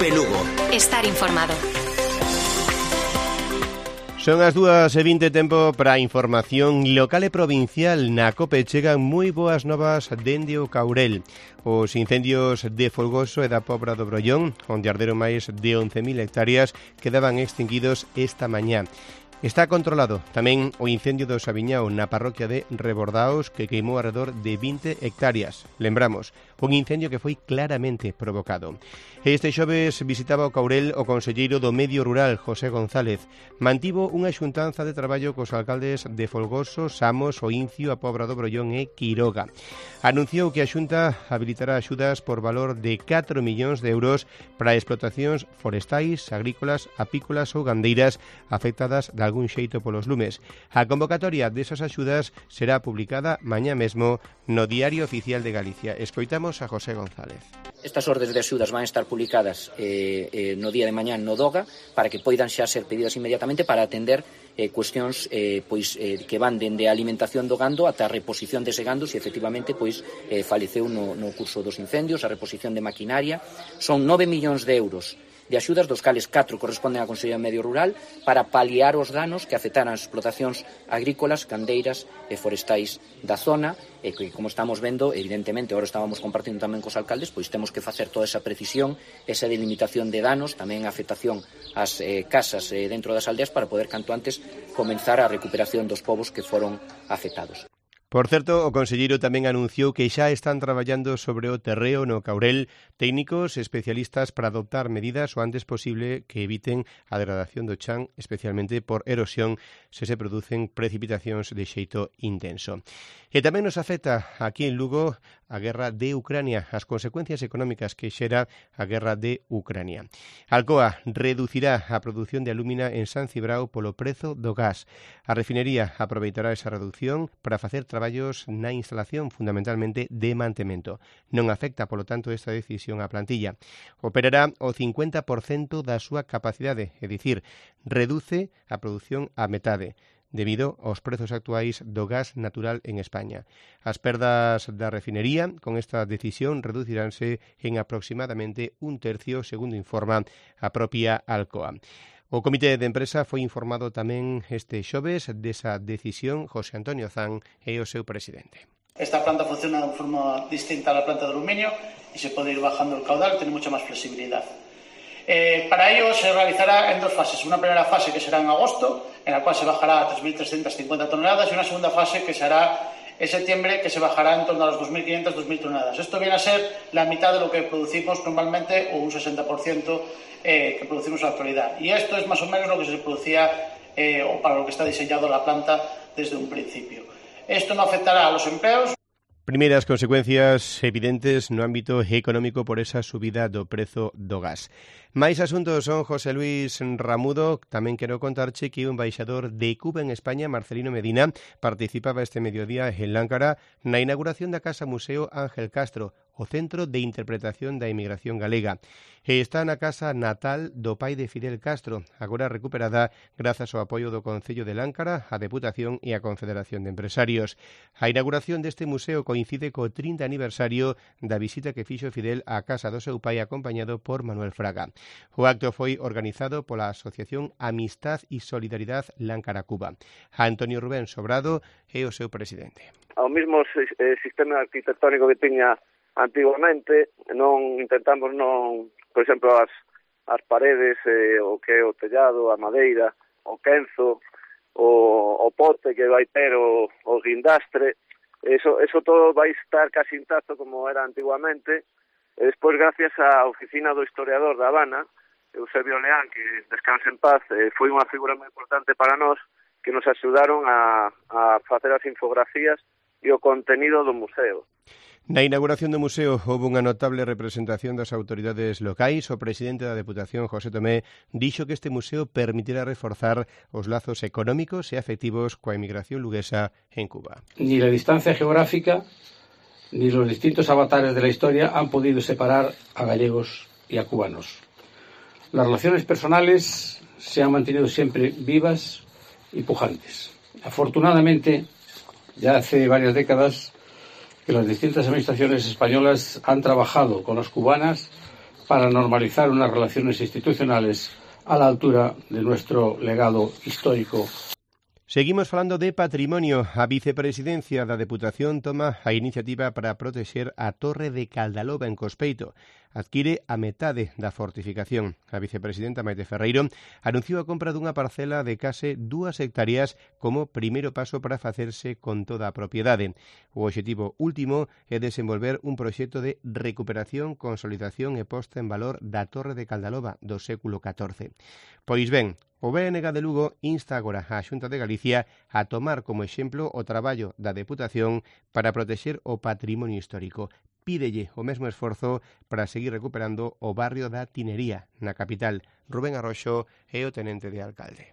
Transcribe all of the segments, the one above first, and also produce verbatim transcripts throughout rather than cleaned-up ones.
Cope Lugo. Estar informado. Son as dúas e vinte, tempo para a información local e provincial. Na Cope chegan moi boas novas dende o Caurel. Os incendios de Folgoso e da Pobra do Brollón, onde arderon máis de once mil hectáreas, quedaban extinguidos esta mañá. Está controlado tamén o incendio do Sabiñao na parroquia de Rebordaos, que queimou alrededor de vinte hectáreas. Lembramos, un incendio que foi claramente provocado. Este xoves visitaba o Caurel o conselleiro do Medio Rural, José González. Mantivo unha xuntanza de traballo cos alcaldes de Folgoso, Samos, O Incio, a Pobra do Brollón e Quiroga. Anunciou que a Xunta habilitará axudas por valor de catro millóns de euros para explotacións forestais, agrícolas, apícolas ou gandeiras afectadas de algún xeito polos lumes. A convocatoria desas axudas será publicada mañá mesmo no Diario Oficial de Galicia. Escoitamos a José González. Estas ordes de axudas van a estar publicadas eh, eh, no día de mañá no DOGA para que poidan xa ser pedidas inmediatamente para atender eh, cuestións eh, pois, eh, que van dende a alimentación do gando ata a reposición dese gando se efectivamente pois, eh, faleceu no, no curso dos incendios, a reposición de maquinaria. Son nove millóns de euros de axudas, dos cales catro corresponden á Consellería de Medio Rural para paliar os danos que afectaran as explotacións agrícolas, gandeiras e forestais da zona, e que, como estamos vendo, evidentemente, agora estábamos compartindo tamén cos alcaldes, pois temos que facer toda esa precisión, esa delimitación de danos, tamén a afectación ás eh, casas eh, dentro das aldeas para poder canto antes comenzar a recuperación dos povos que foron afectados. Por certo, o conselleiro tamén anunciou que xa están traballando sobre o terreo no Caurel técnicos especialistas para adoptar medidas o antes posible que eviten a degradación do chan, especialmente por erosión se se producen precipitacións de xeito intenso. E tamén nos afecta aquí en Lugo a guerra de Ucrania, as consecuencias económicas que xera a guerra de Ucrania. Alcoa reducirá a produción de alúmina en San Cibrao polo prezo do gas. A refinería aproveitará esa reducción para facer traballos na instalación, fundamentalmente de mantemento. Non afecta, polo tanto, esta decisión á plantilla. Operará o cincuenta por cento da súa capacidade, é dicir, reduce a produción á metade, debido aos prezos actuais do gas natural en España. As perdas da refinería con esta decisión reduciránse en aproximadamente un tercio, segundo informa a propia Alcoa. O Comité de Empresa foi informado tamén este xoves desa decisión. José Antonio Zan é o seu presidente. Esta planta funciona de forma distinta a la planta de aluminio y se puede ir bajando el caudal, tiene mucha más flexibilidad. Eh, para ello se realizará en dos fases. Una primera fase que será en agosto, en la cual se bajará a tres mil trescientas cincuenta toneladas, y una segunda fase que se hará en septiembre, que se bajará en torno a los dos mil quinientas a dos mil toneladas. Esto viene a ser la mitad de lo que producimos normalmente, o un sesenta por ciento eh, que producimos en la actualidad. Y esto es más o menos lo que se producía eh, o para lo que está diseñado la planta desde un principio. Esto no afectará a los empleos. Primeiras consecuencias evidentes no ámbito económico por esa subida do prezo do gas. Máis asuntos son José Luis Ramudo. Tamén quero contarche que o embaixador de Cuba en España, Marcelino Medina, participaba este mediodía en Láncara na inauguración da Casa Museo Ángel Castro, o Centro de Interpretación da Inmigración Galega. E está na casa natal do pai de Fidel Castro, agora recuperada grazas ao apoio do Concello de Láncara, a Deputación e a Confederación de Empresarios. A inauguración deste museo coincide co trinta aniversario da visita que fixo Fidel á casa do seu pai acompañado por Manuel Fraga. O acto foi organizado pola Asociación Amistad e Solidaridad Láncara-Cuba. Antonio Rubén Sobrado é o seu presidente. Ao mesmo sistema arquitectónico que tiña antiguamente, non intentamos non, por exemplo, as, as paredes, eh, o que é o tellado, a madeira, o quenzo, o, o pote que vai ter o, o guindastre, eso, eso todo vai estar casi intacto como era antiguamente. E despois, gracias á oficina do historiador da Habana, Eusebio Leán, que descanse en paz, eh, foi unha figura moi importante para nós, que nos axudaron a, a facer as infografías e o contenido do museo. Na inauguración do museo houve unha notable representación das autoridades locais. O presidente da Deputación, José Tomé, dixo que este museo permitirá reforzar os lazos económicos e afectivos coa emigración luguesa en Cuba. Ni la distancia geográfica ni los distintos avatares de la historia han podido separar a gallegos y a cubanos. Las relaciones personales se han mantenido siempre vivas y pujantes. Afortunadamente, ya hace varias décadas que las distintas administraciones españolas han trabajado con las cubanas para normalizar unas relaciones institucionales a la altura de nuestro legado histórico. Seguimos falando de patrimonio. A vicepresidencia da Deputación toma a iniciativa para protexer a Torre de Caldaloba en Cospeito. Adquire a metade da fortificación. A vicepresidenta Maite Ferreiro anunciou a compra dunha parcela de case dúas hectáreas como primeiro paso para facerse con toda a propiedade. O obxectivo último é desenvolver un proxecto de recuperación, consolidación e posta en valor da Torre de Caldaloba do século catorce. Pois ben, o B N G de Lugo insta agora a Xunta de Galicia a tomar como exemplo o traballo da Deputación para protexer o patrimonio histórico. Pídelle o mesmo esforzo para seguir recuperando o barrio da Tinería, na capital. Rubén Arroxo é o tenente de alcalde.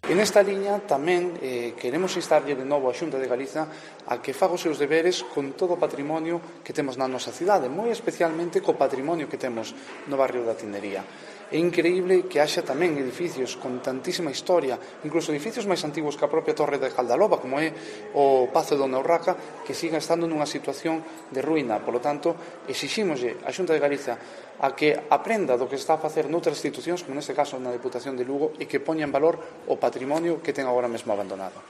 En esta liña tamén eh, queremos instarlle de novo a Xunta de Galiza a que faga os seus deberes con todo o patrimonio que temos na nosa cidade, moi especialmente co patrimonio que temos no barrio da Tinería. É increíble que haxa tamén edificios con tantísima historia, incluso edificios máis antiguos que a propia Torre de Caldaloba, como é o Pazo de Dona Urraca, que sigan estando nunha situación de ruína. Por lo tanto, exixímoslle a Xunta de Galiza a que aprenda do que está a facer noutras institucións, como neste caso na Deputación de Lugo, e que poña en valor o patrimonio que ten agora mesmo abandonado.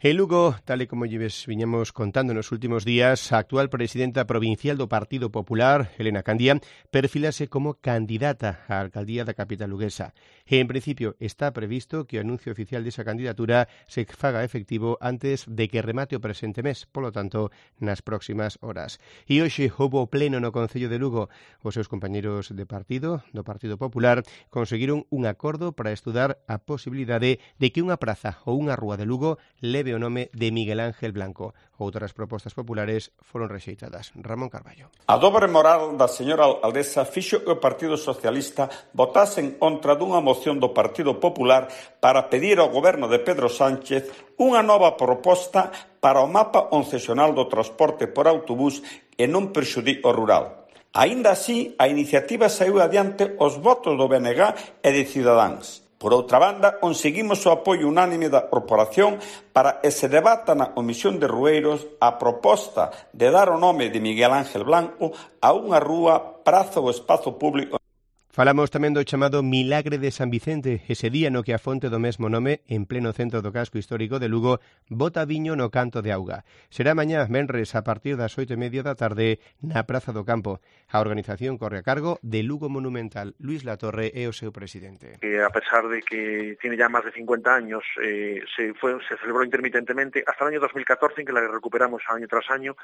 En Lugo, tal e como lleves viñamos contando nos últimos días, a actual presidenta provincial do Partido Popular, Elena Candia, perfilase como candidata á alcaldía da capital luguesa. E, en principio, está previsto que o anuncio oficial desa candidatura se faga efectivo antes de que remate o presente mes, polo tanto, nas próximas horas. E hoxe houbo pleno no Concello de Lugo. Os seus compañeiros de partido, do Partido Popular, conseguiron un acordo para estudar a posibilidade de que unha praza ou unha rúa de Lugo leve o nome de Miguel Ángel Blanco. Outras propostas populares foron rexeitadas. Ramón Carballo. A dobre moral da señora alcaldesa fixo que o Partido Socialista votase en contra dunha moción do Partido Popular para pedir ao goberno de Pedro Sánchez unha nova proposta para o mapa concesional do transporte por autobús e non prexudique o rural. Aínda así, a iniciativa saiu adiante os votos do B N G e de Cidadáns. Por outra banda, conseguimos o apoio unánime da corporación para que se debata na Comisión de Rueiros a proposta de dar o nome de Miguel Ángel Blanco a unha rúa, praza ou espazo público. Falamos tamén do chamado Milagre de San Vicente, ese día no que a fonte do mesmo nome, en pleno centro do casco histórico de Lugo, bota viño no canto de auga. Será mañá, venres, a partir das oito e media da tarde, na Praza do Campo. A organización corre a cargo de Lugo Monumental. Luis Latorre é o seu presidente. Que a pesar de que tiene ya más de cincuenta años, eh, se, fue, se celebró intermitentemente hasta el año dos mil catorce, en que la recuperamos año tras año.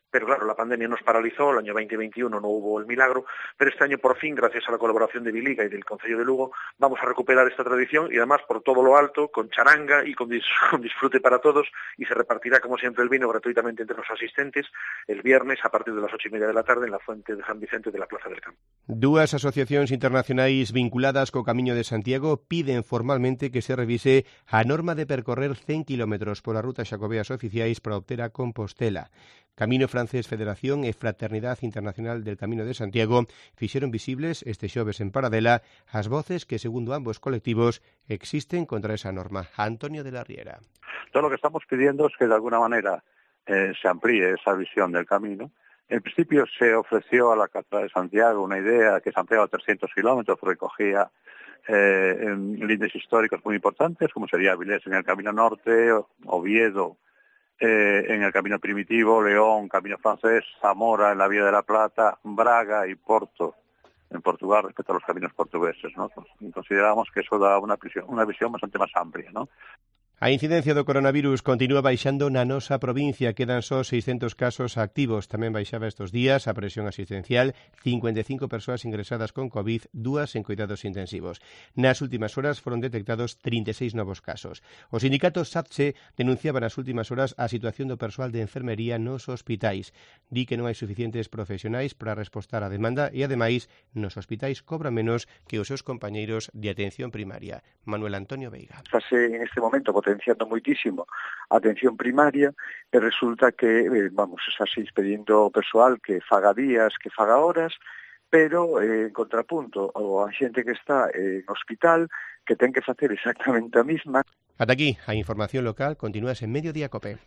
Pero claro, la pandemia nos paralizó, el año veinte veintiuno no hubo el milagro, pero este año por fin, gracias a la colaboración de Biliga y del Concello de Lugo, vamos a recuperar esta tradición y además por todo lo alto, con charanga y con, dis con disfrute para todos, y se repartirá como siempre el vino gratuitamente entre los asistentes el viernes a partir de las ocho y media de la tarde en la Fuente de San Vicente de la Plaza del Campo. Dúas asociacións internacionais vinculadas co Camiño de Santiago piden formalmente que se revise a norma de percorrer cen kilómetros polas rutas xacobeas oficiais para obter a Compostela. Camino Francés Federación e Fraternidad Internacional del Camino de Santiago fixeron visibles este xoves en Paradela as voces que, segundo ambos colectivos, existen contra esa norma. Antonio de la Riera. Todo lo que estamos pidiendo es que de alguna manera eh, se amplíe esa visión del camino. En principio se ofreció a la Catedral de Santiago una idea que se ampliaba a trescientos kilómetros, recogía eh, en líneas históricos muy importantes, como sería Avilés en el Camino Norte, Oviedo Eh, en el Camino Primitivo, León, Camino Francés, Zamora en la Vía de la Plata, Braga y Porto en Portugal respecto a los caminos portugueses, ¿no? Pues consideramos que eso da una visión, una visión bastante más amplia, ¿no? A incidencia do coronavirus continúa baixando na nosa provincia, quedan só seiscentos casos activos. Tamén baixaba estes días a presión asistencial, cincuenta e cinco persoas ingresadas con COVID, dúas en cuidados intensivos. Nas últimas horas foron detectados trinta e seis novos casos. O sindicato SATSE denunciaba nas últimas horas a situación do persoal de enfermería nos hospitais. Di que non hai suficientes profesionais para respostar á demanda e, ademais, nos hospitais cobran menos que os seus compañeiros de atención primaria. Manuel Antonio Veiga. Estase en este momento potenciando moitísimo a atención primaria e resulta que, eh, vamos, está se expedindo persoal que faga días, que faga horas, pero eh, en contrapunto a xente que está eh, en hospital que ten que facer exactamente a mesma. Ata aquí a información local, continúas en Mediodía Cope.